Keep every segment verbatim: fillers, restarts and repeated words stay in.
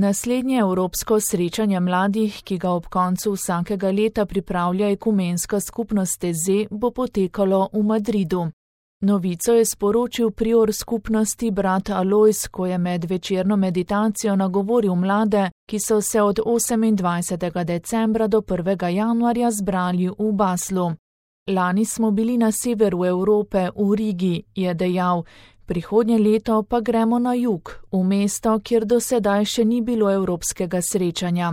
Naslednje evropsko srečanje mladih, ki ga ob koncu vsakega leta pripravlja ekumenska skupnost Teze, bo potekalo v Madridu. Novico je sporočil prior skupnosti brat Alojz, ko je med večerno meditacijo nagovoril mlade, ki so se od osemindvajsetega decembra do prvega januarja zbrali v Baslu. Lani smo bili na severu Evrope, v Rigi, je dejal, prihodnje leto pa gremo na jug, v mesto, kjer do sedaj še ni bilo evropskega srečanja.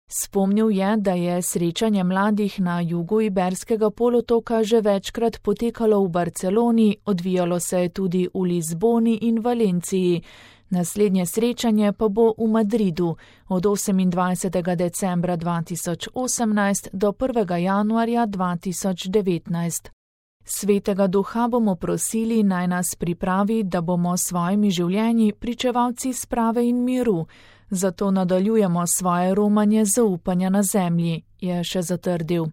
Spomnil je, da je srečanje mladih na jugu Iberskega polotoka že večkrat potekalo v Barceloni, odvijalo se je tudi v Lizboni in Valenciji. Naslednje srečanje pa bo v Madridu od osemindvajsetega decembra dva tisoč osemnajst do prvega januarja dva tisoč devetnajst. Svetega Duha bomo prosili, naj nas pripravi, da bomo s svojimi življenji pričevalci sprave in miru, zato nadaljujemo svoje romanje zaupanja na zemlji, je še zatrdil.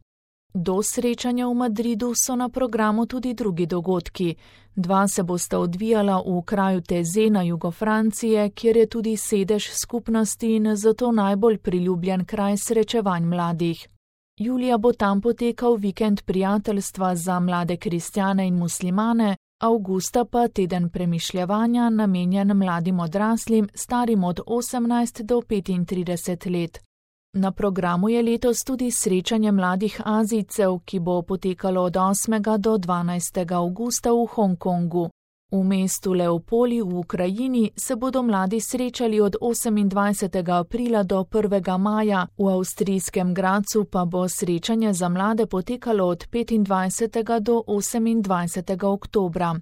Do srečanja v Madridu so na programu tudi drugi dogodki. Dva se bosta odvijala v kraju Teze na jugu Francije, kjer je tudi sedež skupnosti in zato najbolj priljubljen kraj srečevanj mladih. Julija bo tam potekal vikend prijateljstva za mlade kristjane in muslimane, avgusta pa teden premišljevanja namenjen mladim odraslim, starim od osemnajst do petintrideset let. Na programu je letos tudi srečanje mladih Azijcev, ki bo potekalo od osmega do dvanajstega avgusta v Hongkongu. V mestu Leopoli v Ukrajini se bodo mladi srečali od osemindvajsetega aprila do prvega maja, v avstrijskem Gradcu pa bo srečanje za mlade potekalo od petindvajsetega do osemindvajsetega oktobra.